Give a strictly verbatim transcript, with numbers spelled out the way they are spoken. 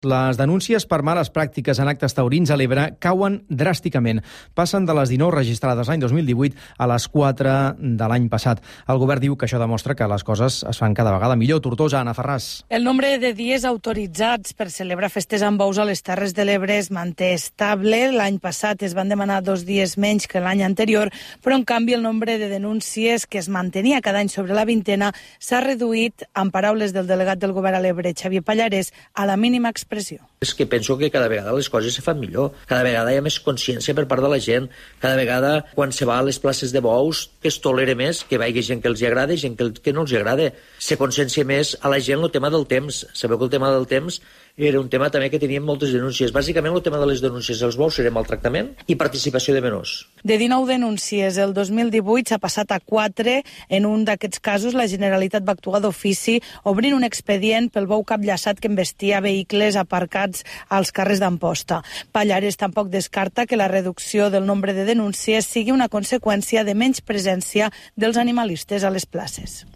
Les denúncies per males pràctiques en actes taurins a l'Ebre cauen dràsticament. Passen de les dinou registrades l'any dos mil divuit a les quatre de l'any passat. El govern diu que això demostra que les coses es fan cada vegada millor. Tortosa, Anna Ferràs. El nombre de dies autoritzats per celebrar festes amb bous a les Terres de l'Ebre es manté estable. L'any passat es van demanar dos dies menys que l'any anterior, però en canvi el nombre de denúncies que es mantenia cada any sobre la vintena s'ha reduït, en paraules del delegat del govern a l'Ebre, Xavier Pallarès, a la mínima expressió. És que penso que cada vegada les coses se fan millor, cada vegada hi ha més consciència per part de la gent, cada vegada quan se va a les places de bous que es tolera més, que vagi gent que els agrada i gent que, que no els agrada. Se consciencia més a la gent el tema del temps. Sabeu que el tema del temps era un tema també que teníem moltes denúncies. Bàsicament el tema de les denúncies dels bous era maltractament i participació de menors. De dinou denúncies el dos mil divuit s'ha passat a quatre. En un d'aquests casos la Generalitat va actuar d'ofici obrint un expedient pel bou capllaçat que embestia vehicles aparcats als carrers d'Amposta. Pallarès tampoc descarta que la reducció del nombre de denúncies sigui una conseqüència de menys presència dels animalistes a les places.